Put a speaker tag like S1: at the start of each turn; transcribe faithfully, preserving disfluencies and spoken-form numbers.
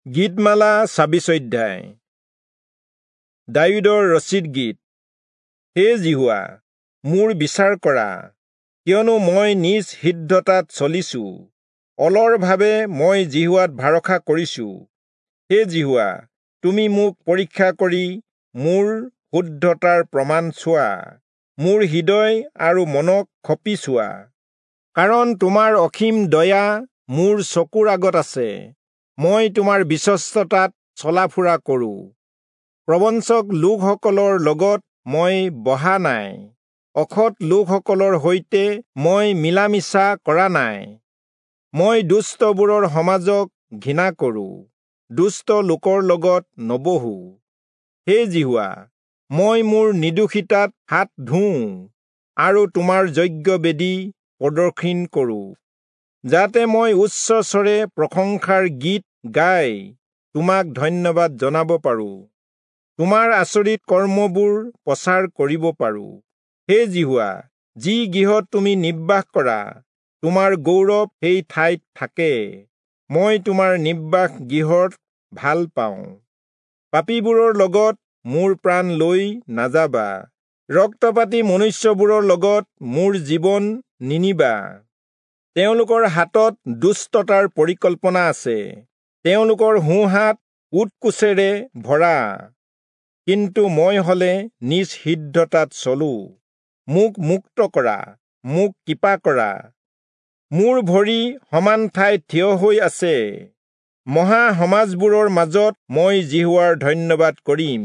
S1: গীতমালা ছাব্বিছ অধ্যায়। দায়ূদৰ ৰচিত গীত। হে যিহোৱা, মোৰ বিচাৰ কৰা, কিয়নো মই নিজ সিদ্ধতাত চলিছো, অলৰভাৱে মই যিহোৱাত ভৰসা কৰিছো। হে যিহোৱা, তুমি মোক পৰীক্ষা কৰি মোৰ শুদ্ধতাৰ প্ৰমাণ চোৱা, মোৰ হৃদয় আৰু মনক খপি চোৱা, কাৰণ তোমাৰ অসীম দয়া মোৰ চকুৰ আগত আছে। মই তোমাৰ বিশ্বস্ততাত চলা-ফুৰা কৰোঁ। প্ৰবঞ্চক লোকসকলৰ লগত মই বহা নাই, অসৎ লোকসকলৰ সৈতে মই মিলা-মিছা কৰা নাই। মই দুষ্টবোৰৰ সমাজক ঘৃণা কৰোঁ, দুষ্ট লোকৰ লগত নবহোঁ। হে যিহোৱা, মই মোৰ নিৰ্দোষিতাত হাত ধুওঁ আৰু তোমাৰ যজ্ঞবেদী প্ৰদক্ষিণ কৰোঁ, যাতে মই উচ্চস্বৰে প্ৰশংসাৰ গীত গাই তোমাক ধন্যবাদ জনাব পাৰোঁ, তোমাৰ আচৰিত কৰ্মবোৰ প্ৰচাৰ কৰিব পাৰোঁ। হে যিহোৱা, যি গৃহত তুমি নিবাস কৰা, তোমাৰ গৌৰৱ সেই ঠাইত থাকে। মই তোমাৰ নিবাস গৃহত ভাল পাওঁ। পাপীবোৰৰ লগত মোৰ প্ৰাণ লৈ নাযাবা, ৰক্তপাতী মনুষ্যবোৰৰ লগত মোৰ জীৱন নিনিবা। তেওঁলোকৰ হাতত দুষ্টতাৰ পৰিকল্পনা আছে, তেওঁলোকৰ সোঁহাত উৎকোচেৰে ভৰা। কিন্তু মই হলে নিজ সিদ্ধতাত চলো। মোক মুক্ত কৰা, মোক কৃপা কৰা। মোৰ ভৰি সমান ঠাইত থিয় হৈ আছে। মহা সমাজবোৰৰ মাজত মই যিহোৱাৰ ধন্যবাদ কৰিম।